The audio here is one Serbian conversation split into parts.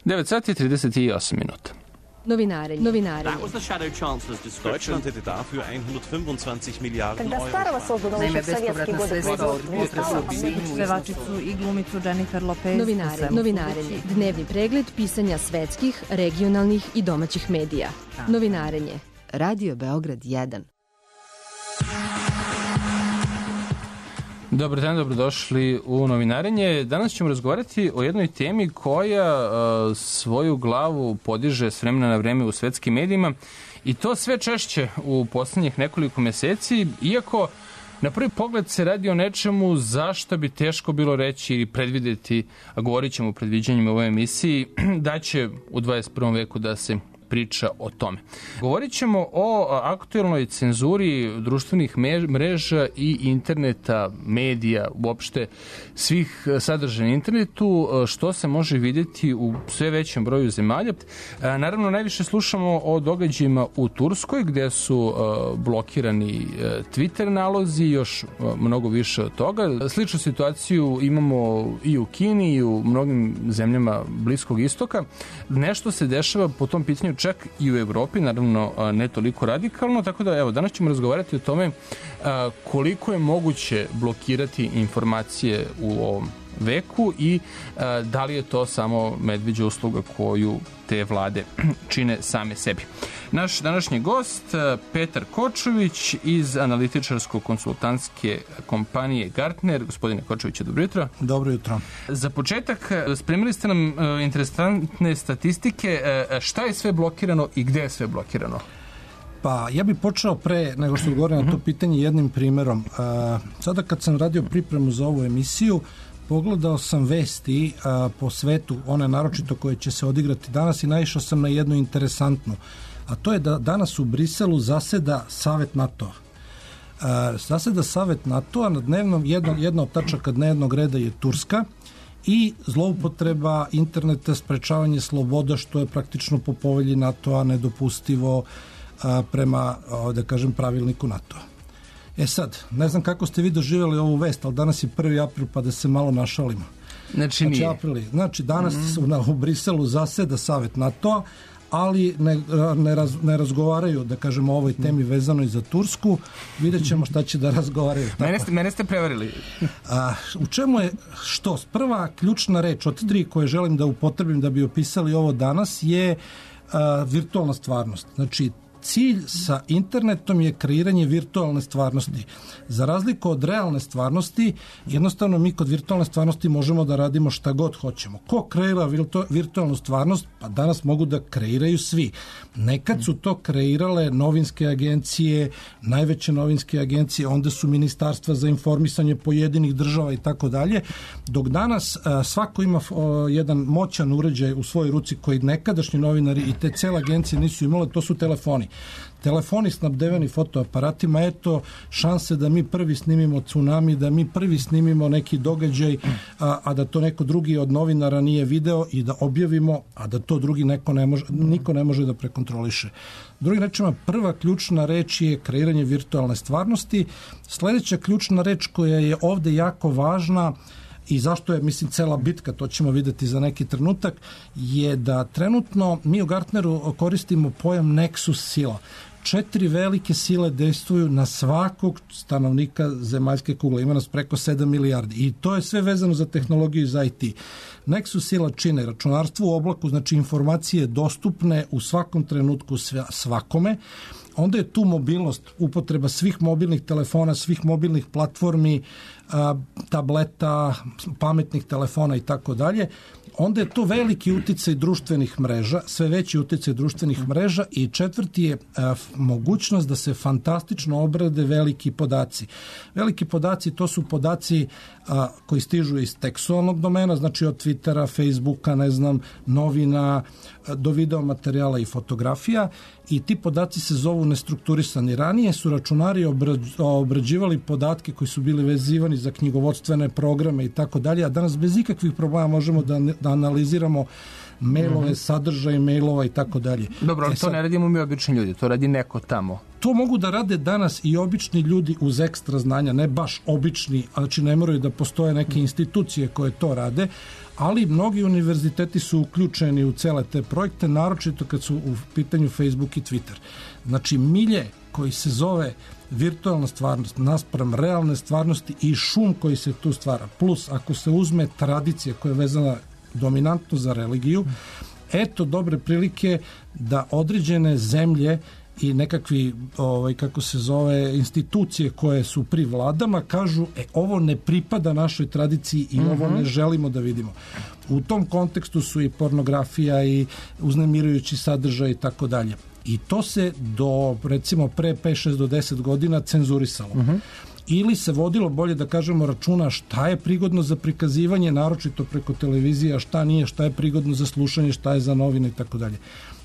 9 sati 38 minuta. Novinarenje. Deutschland hätte dafür 125 Milijarden Euro. Naime, bespovratna sredstva od pevačicu i glumicu Jennifer Lopez. Novinarenje. Dnevni pregled pisanja svetskih, regionalnih i domaćih medija. Novinarenje. Radio Beograd 1. Dobar dan, dobrodošli u Novinarenje. Danas ćemo razgovarati o jednoj temi koja svoju glavu podiže s vremena na vreme u svetskim medijima i to sve češće u poslednjih nekoliko meseci, iako na prvi pogled se radi o nečemu zašto bi teško bilo reći ili predvideti, a govorit ćemo o predviđanjima u ovoj emisiji, da će u 21. veku da se priča o tome. Govorit ćemo o aktuelnoj cenzuri društvenih mreža i interneta, medija, uopšte svih sadržaja na internetu, što se može vidjeti u sve većem broju zemalja. Naravno, najviše slušamo o događajima u Turskoj, gde su blokirani Twitter nalozi, još mnogo više od toga. Sličnu situaciju imamo i u Kini i u mnogim zemljama Bliskog istoka. Nešto se dešava po tom pitanju čak i u Evropi, naravno ne toliko radikalno, tako da evo, danas ćemo razgovarati o tome koliko je moguće blokirati informacije u ovom veku i da li je to samo medveđa usluga koju te vlade čine same sebi. Naš današnji gost, Petar Kočović iz analitičarsko-konsultantske kompanije Gartner. Gospodine Kočoviću, dobro jutro. Dobro jutro. Za početak, spremili ste nam interesantne statistike. Šta je sve blokirano i gde je sve blokirano? Pa ja bih počeo pre nego što odgovorim na to pitanje jednim primerom. Sada kad sam radio pripremu za ovu emisiju, pogledao sam vesti po svetu, one naročito koje će se odigrati danas, i naišao sam na jednu interesantnu. A to je da danas u Briselu zaseda Savet NATO-a. Zaseda Savet NATO-a, na dnevnom, jedna od tačaka dnevnog reda je Turska i zloupotreba interneta, sprečavanje sloboda, što je praktično po povelji NATO-a nedopustivo prema, da kažem, pravilniku NATO-a. Sad, ne znam kako ste vi doživjeli ovu vest, ali danas je 1. april, pa da se malo našalimo. Znači danas u Briselu zaseda Savet NATO-a, ali ne razgovaraju, da kažemo, o ovoj temi vezano i za Tursku. Vidjet ćemo šta će da razgovaraju. Mene ste prevarili. U čemu je što? Prva ključna reč od 3 koje želim da upotrebim da bi opisali ovo danas je virtualna stvarnost. Znači, cilj sa internetom je kreiranje virtualne stvarnosti. Za razliku od realne stvarnosti, jednostavno mi kod virtualne stvarnosti možemo da radimo šta god hoćemo. Ko kreira virtualnu stvarnost? Pa danas mogu da kreiraju svi. Nekad su to kreirale novinske agencije, najveće novinske agencije, onda su ministarstva za informisanje pojedinih država i tako dalje, dok danas svako ima jedan moćan uređaj u svojoj ruci koji nekadašnji novinari i te cele agencije nisu imale, to su telefoni. Telefoni snabdeveni fotoaparatima, eto šanse da mi prvi snimimo tsunami, da mi prvi snimimo neki događaj, a da to neko drugi od novinara nije video i da objavimo, a da to drugi niko ne može da prekontroliše. Drugim rečima, prva ključna reč je kreiranje virtualne stvarnosti. Sledeća ključna reč koja je ovde jako važna i zašto je, mislim, cela bitka, to ćemo videti za neki trenutak, je da trenutno mi u Gartneru koristimo pojam Nexus sila. 4 velike sile dejstvuju na svakog stanovnika zemaljske kugle. Ima nas preko 7 milijardi. I to je sve vezano za tehnologiju i za IT. Nexus sila čine računarstvo u oblaku, znači informacije dostupne u svakom trenutku svakome. Onda je tu mobilnost, upotreba svih mobilnih telefona, svih mobilnih platformi, tableta, pametnih telefona i tako dalje. Onda je to veliki uticaj društvenih mreža, sve veći uticaj društvenih mreža, i četvrti je mogućnost da se fantastično obrade veliki podaci. Veliki podaci, to su podaci koji stižu iz tekstualnog domena, znači od Twittera, Facebooka, ne znam, novina, do video materijala i fotografija, i ti podaci se zovu nestrukturisani. Ranije su računari obrađivali podatke koji su bili vezivani za knjigovodstvene programe i tako dalje, a danas bez ikakvih problema možemo da analiziramo mailove, sadržaj mailova i tako dalje. Dobro, ali to ne radimo mi obični ljudi, to radi neko tamo. To mogu da rade danas i obični ljudi uz ekstra znanja, ne baš obični, znači ne moraju da postoje neke institucije koje to rade, ali mnogi univerziteti su uključeni u cele te projekte, naročito kad su u pitanju Facebook i Twitter. Znači milje koji se zove virtualna stvarnost naspram realne stvarnosti i šum koji se tu stvara, plus ako se uzme tradicija koja je vezana dominantno za religiju, eto dobre prilike da određene zemlje i nekakvi, kako se zove, institucije koje su pri vladama kažu, ovo ne pripada našoj tradiciji i ovo ne želimo da vidimo. U tom kontekstu su i pornografija i uznemirujući sadržaj i tako dalje. I to se do, recimo, pre 5, 6 do 10 godina cenzurisalo. Ili se vodilo, bolje da kažemo, računa šta je prigodno za prikazivanje, naročito preko televizije, a šta nije, šta je prigodno za slušanje, šta je za novine i tako dalje.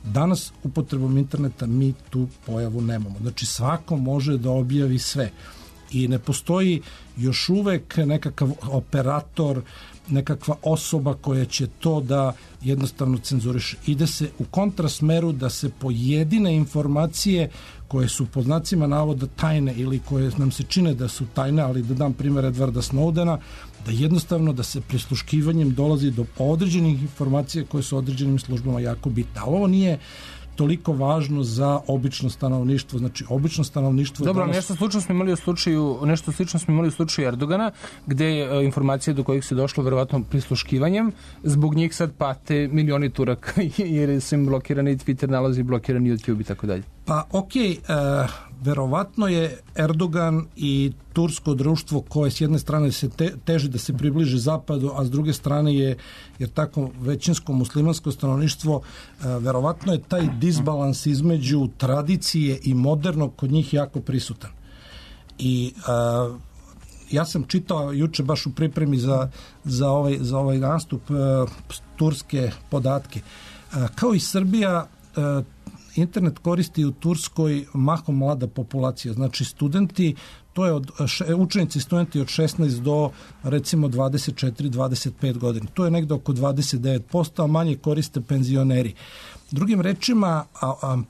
Danas upotrebom interneta mi tu pojavu nemamo. Znači svako može da objavi sve. I ne postoji još uvek nekakav operator, nekakva osoba koja će to da jednostavno cenzuriše. Ide se u kontrasmeru da se pojedine informacije koje su pod znacima navoda tajne ili koje nam se čine da su tajne, ali da dam primjer Edwarda Snowdena, da jednostavno da se prisluškivanjem dolazi do određenih informacija koje su određenim službama jako bitne. Ali ovo nije toliko važno za obično stanovništvo. Znači, obično stanovništvo... Dobro, nešto slično smo imali u slučaju Erdogana, gde informacije do kojih se došlo verovatno prisluškivanjem, zbog njih sad pate milioni Turaka, jer su im blokirani Twitter nalazi, blokirani YouTube i tako dalje. Pa, verovatno je Erdogan i tursko društvo koje s jedne strane se teži da se približi zapadu, a s druge strane je, jer tako većinsko muslimansko stanovništvo, verovatno je taj disbalans između tradicije i modernog kod njih jako prisutan. I ja sam čitao juče baš u pripremi za ovaj nastup turske podatke. Kao i Srbija, internet koristi u Turskoj mahom mlada populacija, znači studenti, to je učenici studenti od 16 do recimo 24-25 godina. To je negde oko 29%, a manje koriste penzioneri. Drugim rečima,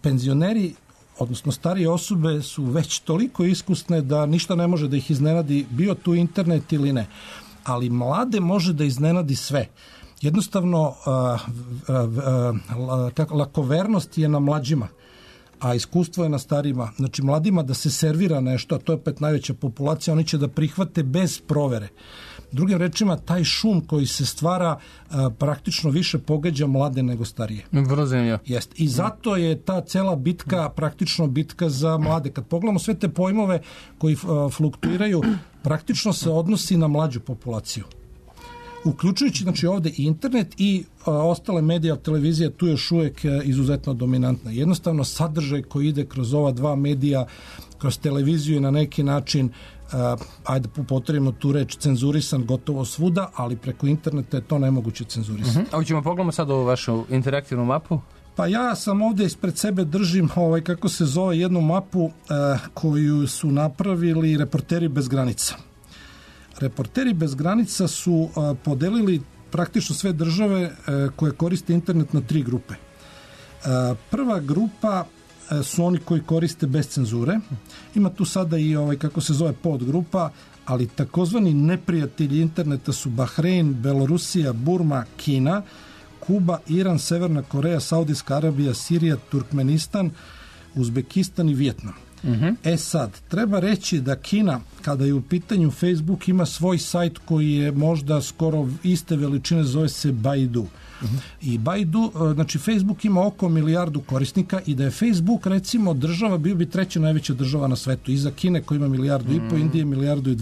penzioneri, odnosno starije osobe su već toliko iskusne da ništa ne može da ih iznenadi, bio tu internet ili ne. Ali mlade može da iznenadi sve. Jednostavno, lakovernost je na mlađima, a iskustvo je na starijima. Znači, mladima da se servira nešto, a to je opet najveća populacija, oni će da prihvate bez provere. Drugim rečima, taj šum koji se stvara praktično više pogađa mlade nego starije. Vrlo zanimljivo. Jest. I zato je ta cela bitka praktično bitka za mlade. Kad pogledamo sve te pojmove koji fluktuiraju, praktično se odnosi na mlađu populaciju. Uključujući, znači, ovde i internet i ostale medija, televizija tu još uvijek izuzetno dominantna. Jednostavno sadržaj koji ide kroz ova dva medija, kroz televiziju je na neki način, ajde upotrebimo tu reč, cenzurisan gotovo svuda, ali preko interneta je to nemoguće cenzurisati. A hoćemo pogledamo sad ovu vašu interaktivnu mapu? Pa ja sam ovdje ispred sebe držim kako se zove jednu mapu koju su napravili Reporteri bez granica. Reporteri bez granica su podelili praktično sve države koje koriste internet na 3 grupe. Prva grupa su oni koji koriste bez cenzure. Ima tu sada i kako se zove podgrupa, ali takozvani neprijatelji interneta su Bahrein, Belorusija, Burma, Kina, Kuba, Iran, Severna Koreja, Saudijska Arabija, Sirija, Turkmenistan, Uzbekistan i Vijetnam. Sad, treba reći da Kina, kada je u pitanju Facebook, ima svoj sajt koji je možda skoro iste veličine, zove se Baidu. I Baidu, znači Facebook ima oko 1 milijardu korisnika i da je Facebook, recimo, država, bio bi 3. najveća država na svetu. Iza Kine koji ima 1,5 milijardu, Indije 1,2 milijardu,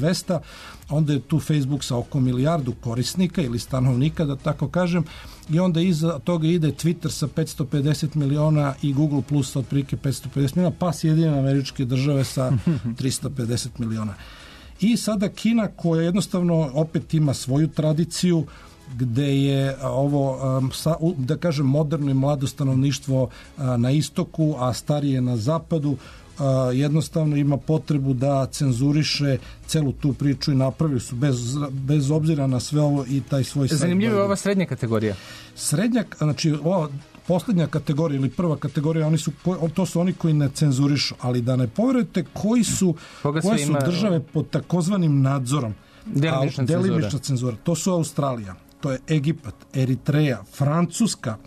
onda je tu Facebook sa oko 1 milijardu korisnika ili stanovnika, da tako kažem, i onda iza toga ide Twitter sa 550 miliona i Google Plus sa otprilike 550 miliona, pa Sjedinjene Američke Države sa 350 miliona. I sada Kina, koja jednostavno opet ima svoju tradiciju, gde je ovo, da kažem, moderno i mlado stanovništvo na istoku, a starije na zapadu, jednostavno ima potrebu da cenzuriše celu tu priču i napravili su bez obzira na sve ovo i taj svoj sajt. Zanimljivo je ova srednja kategorija. Srednja, znači poslednja kategorija ili prva kategorija, to su oni koji ne cenzurišu, ali da ne poverujete koje su države pod takozvanim nadzorom. Delimična cenzura. To su Australija, to je Egipat, Eritreja, Francuska,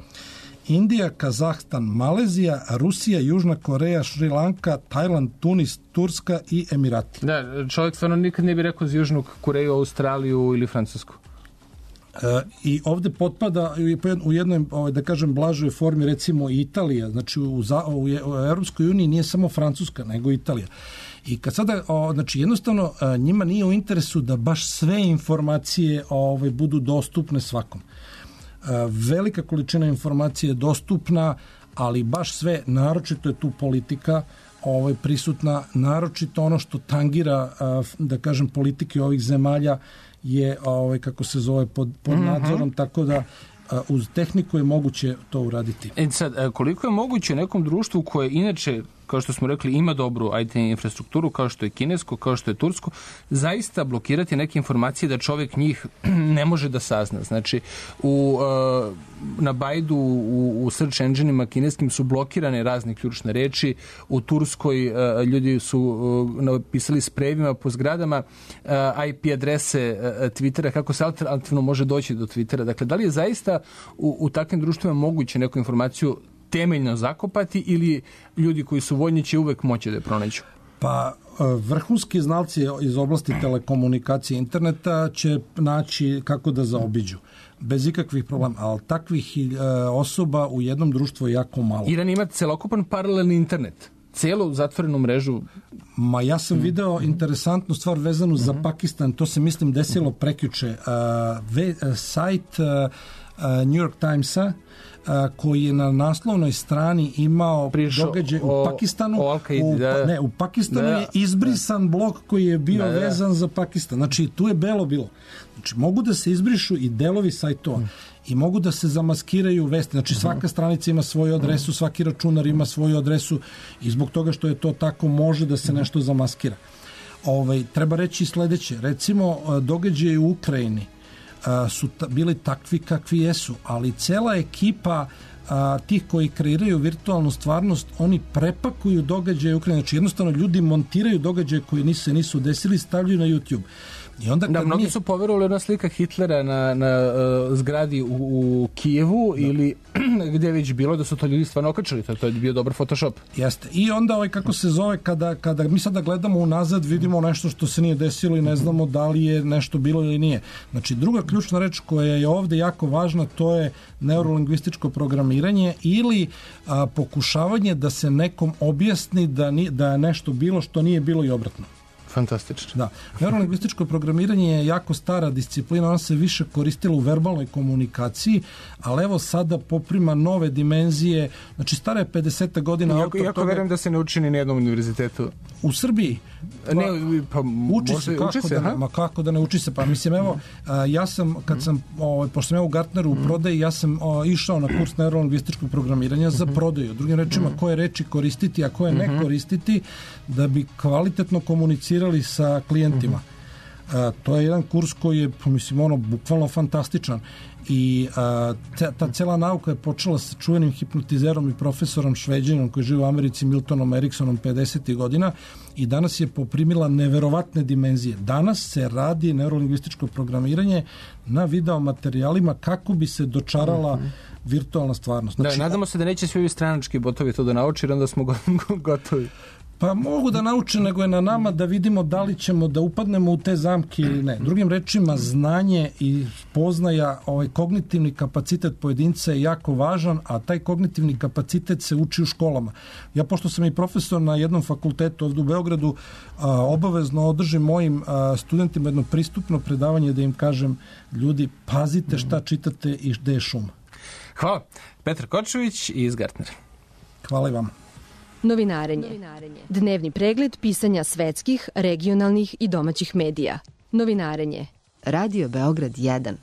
Indija, Kazahstan, Malezija, Rusija, Južna Koreja, Šri Lanka, Tajland, Tunis, Turska i Emirati. Da, čovjek stvarno nikad ne bi rekao za Južnu Koreju, Australiju ili Francusku. I ovde potpada u jednoj, da kažem, blažoj formi, recimo Italija. Znači u Europskoj uniji nije samo Francuska, nego Italija. I kad sada, znači jednostavno njima nije u interesu da baš sve informacije budu dostupne svakom. Velika količina informacije je dostupna, ali baš sve, naročito je tu politika prisutna, naročito ono što tangira, da kažem, politike ovih zemalja je, kako se zove, pod nadzorom, tako da uz tehniku je moguće to uraditi. Sad, koliko je moguće u nekom društvu koje inače, kao što smo rekli, ima dobru IT infrastrukturu, kao što je kinesko, kao što je tursko, zaista blokirati neke informacije da čovjek njih ne može da sazna. Znači, na Baidu, u search engine-ima kineskim su blokirane razne ključne reči, u Turskoj ljudi su napisali sprejevima po zgradama IP adrese Twittera, kako se alternativno može doći do Twittera. Dakle, da li je zaista u takvim društvima moguće neku informaciju temeljno zakopati ili ljudi koji su voljni će uvek moći da je pronađu? Pa vrhunski znalci iz oblasti telekomunikacije interneta će naći kako da zaobiđu. Bez ikakvih problema, ali takvih osoba u jednom društvu je jako malo. Iran ima celokupan paralelni internet. Celu zatvorenu mrežu. Ma ja sam video interesantnu stvar vezanu za Pakistan, to se mislim desilo prekjuče. Sajt New York Timesa koji je na naslovnoj strani imao događaj u Pakistanu. U Pakistanu je izbrisan blok koji je bio vezan za Pakistan. Znači, tu je belo bilo. Znači, mogu da se izbrišu i delovi sajtova i mogu da se zamaskiraju vesti. Znači, svaka stranica ima svoju adresu, svaki računar ima svoju adresu i zbog toga što je to tako može da se nešto zamaskira. Treba reći sledeće. Recimo, događaje u Ukrajini su bili takvi kakvi jesu, ali cela ekipa tih koji kreiraju virtualnu stvarnost, oni prepakuju događaje u Ukrajini. Znači jednostavno ljudi montiraju događaje koji se nisu desili, stavljaju na YouTube. I onda mnogi su poverovali ona slika Hitlera na zgradi u Kijevu ili gdje je već bilo da su to ljudi stvarno okačili. To je bio dobar Photoshop. Jeste. I onda kako se zove kada mi sada gledamo unazad vidimo nešto što se nije desilo i ne znamo da li je nešto bilo ili nije. Znači druga ključna reč koja je ovde jako važna to je neurolingvističko programiranje ili pokušavanje da se nekom objasni da je nešto bilo što nije bilo i obratno. Fantastično. Da. Neurolingvističko programiranje je jako stara disciplina, ona se više koristila u verbalnoj komunikaciji, ali evo sada poprima nove dimenzije, znači stara je 50 godina. Jako verujem da se ne uči ni na jednom univerzitetu. U Srbiji? Uči se, kako da ne uči se? Pa mislim, evo, ja sam, pošto sam u Gartneru u prodaji, ja sam išao na kurs neurolingvističkog programiranja za prodaju. Drugim rečima, koje reči koristiti, a koje ne koristiti, da bi kvalitetno komunicirali sa klijentima. To je jedan kurs koji je, mislim, bukvalno fantastičan. I ta cela nauka je počela sa čuvenim hipnotizerom i profesorom Šveđanom koji živi u Americi, Miltonom Eriksonom 50. godina i danas je poprimila neverovatne dimenzije. Danas se radi neurolingvističko programiranje na video materijalima kako bi se dočarala virtualna stvarnost. Znači, nadamo se da neće svi ovi stranački botovi to da nauči, onda smo gotovi. Pa mogu da nauče, nego je na nama da vidimo da li ćemo da upadnemo u te zamke ili ne. Drugim rečima, znanje i poznaja, kognitivni kapacitet pojedinca je jako važan, a taj kognitivni kapacitet se uči u školama. Ja, pošto sam i profesor na jednom fakultetu ovdje u Beogradu, obavezno održim mojim studentima jedno pristupno predavanje da im kažem, ljudi, pazite šta čitate i gde je šum. Hvala. Petar Kočević iz Gartnera. Hvala i vam. Novinarenje. Dnevni pregled pisanja svetskih, regionalnih i domaćih medija. Novinarenje. Radio Beograd 1.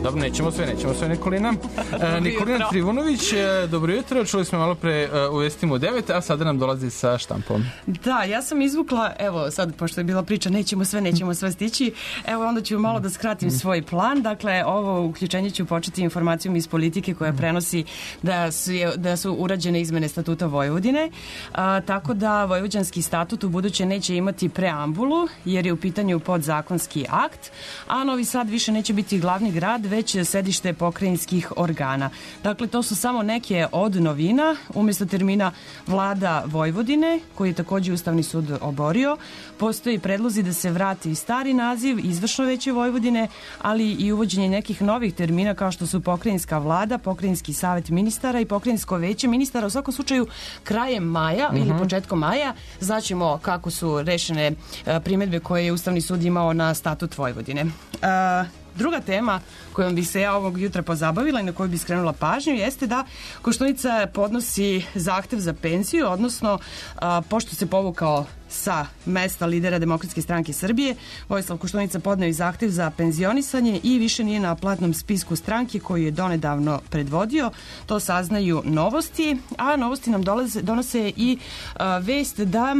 Dobro, nećemo sve, Nikolina. Nikolina Trivunović, dobro jutro, čuli smo malo pre u vestima u 9, a sada nam dolazi sa štampom. Da, ja sam izvukla, evo sad, pošto je bila priča, nećemo sve stići, evo onda ću malo da skratim svoj plan. Dakle, ovo uključenje ću početi informacijom iz Politike koja prenosi da su urađene izmene statuta Vojvodine, tako da vojvođanski statut u buduće neće imati preambulu, jer je u pitanju podzakonski akt, a Novi Sad više neće biti glavni grad, već sedište pokrajinskih organa. Dakle, to su samo neke od novina. Umjesto termina Vlada Vojvodine, koji je također Ustavni sud oborio, postoji predlozi da se vrati stari naziv Izvršno veće Vojvodine, ali i uvođenje nekih novih termina kao što su pokrajinska vlada, pokrajinski savet ministara i pokrajinsko veće ministara. U svakom slučaju, krajem maja ili početkom maja znaćemo kako su rešene primedbe koje je Ustavni sud imao na statut Vojvodine. Druga tema kojom bi se ja ovog jutra pozabavila i na koju bi skrenula pažnju jeste da Koštunica podnosi zahtev za penziju, odnosno pošto se povukao sa mesta lidera Demokratske stranke Srbije, Vojislav Koštunica podneo i zahtev za penzionisanje i više nije na platnom spisku stranke koju je donedavno predvodio. To saznaju Novosti, a Novosti nam donose i vest da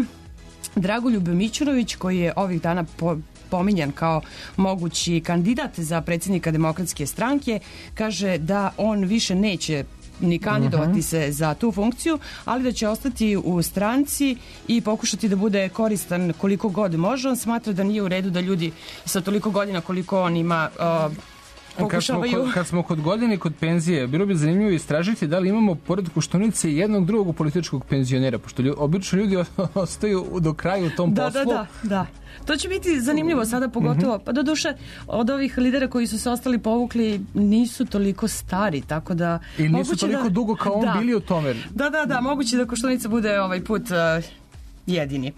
Dragoljub Mićunović, koji je ovih dana pominjan kao mogući kandidat za predsjednika Demokratske stranke, kaže da on više neće ni kandidovati se za tu funkciju, ali da će ostati u stranci i pokušati da bude koristan koliko god može. On smatra da nije u redu da ljudi sa toliko godina koliko on ima pokušavaju. Kad smo kod godine i kod penzije, bilo bi zanimljivo istražiti da li imamo pored Koštunice jednog drugog političkog penzionera, pošto obično ljudi ostaju do kraja u tom poslu. Da. To će biti zanimljivo sada pogotovo, pa doduše od ovih lidera koji su se ostali povukli nisu toliko stari, tako da... I nisu toliko dugo kao on bili u tome. Da, moguće da Koštunica bude ovaj put jedini.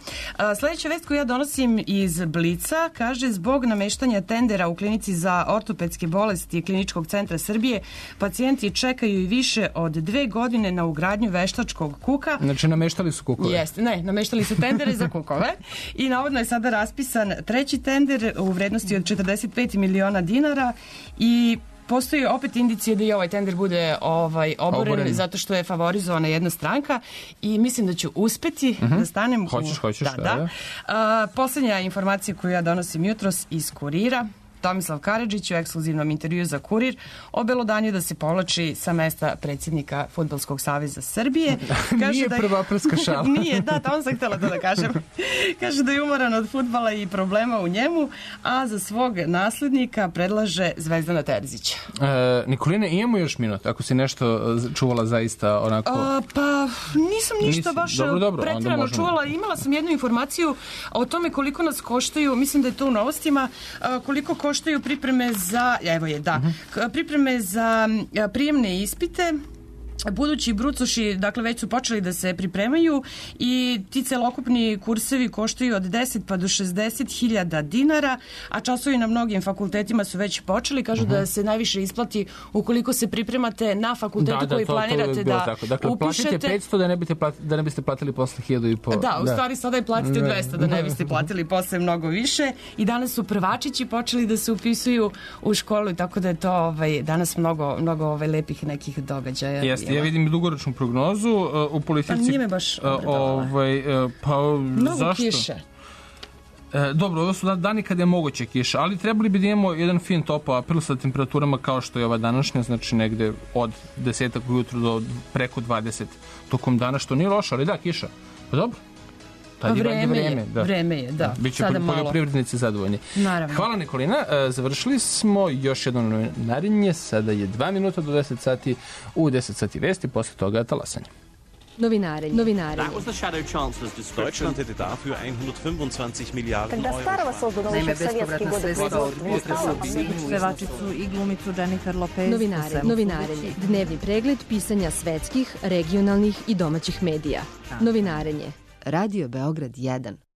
Sljedeća vest koju ja donosim iz Blica kaže: zbog nameštanja tendera u klinici za ortopedske bolesti Kliničkog centra Srbije, pacijenti čekaju i više od 2 godine na ugradnju veštačkog kuka. Znači nameštali su kukove? Jeste, nameštali su tendere za kukove i navodno je sada raspisan treći tender u vrednosti od 45 miliona dinara i postoji opet indicije da i ovaj tender bude oboren zato što je favorizovana jedna stranka i mislim da ću uspeti da stanem Hoćeš, da. Posljednja informacija koju ja donosim jutros iz Kurira. Tomislav Karadžić u ekskluzivnom intervju za Kurir obelodanio da se povlači sa mesta predsjednika Fudbalskog saveza Srbije. Kaže nije prva prska šala. Nije, tamo sam htjela to da kažem. Kaže da je umoran od fudbala i problema u njemu, a za svog naslednika predlaže Zvezdana Terzića. Nikolina, imamo još minut, ako si nešto čuvala zaista onako... Pa nisam ništa baš pretjerano čuvala. Imala sam jednu informaciju o tome koliko nas koštaju, mislim da je to u Novostima, koliko koštaju pripreme za, pripreme za prijemne ispite. Budući brucoši, dakle, već su počeli da se pripremaju i ti celokupni kursevi koštaju od 10 pa do 60.000 dinara, a časovi na mnogim fakultetima su već počeli. Kažu da se najviše isplati ukoliko se pripremate na fakultetu koji planirate da dakle, upišete. Platite 500 da ne biste platili posle 1.500. Da, u stvari sada je platite 200 da ne biste platili posle mnogo više. I danas su prvačići počeli da se upisuju u školu, tako da je to danas mnogo lepih nekih događaja. Jeste. Ja vidim dugoročnu prognozu u politici. Pa nije me baš obradovala. Mnogo zašto? Kiše. Dobro, ovo su dani kada je moguće kiša, ali trebali bi da imamo jedan fin topao april sa temperaturama kao što je ova današnja, znači negde od 10 ujutru do preko 20 tokom dana, što nije loše, ali da, kiša. Pa dobro. Vreme je, da. Biće poljoprivrednici zadovoljni. Naravno. Hvala, Nikolina. Završili smo još jedno novinarenje. Sada je 2 minuta do 10 sati. U 10 sati vesti, posle toga talasanje. Novinarenje. That was the Shadow Chancellor's description. Deutschland hätte dafür 125 Milliarden Euro. Pevačicu i glumicu Jennifer Lopez. Novinarenje. Dnevni pregled pisanja svetskih, regionalnih i domaćih medija. Novinarenje. Radio Beograd 1.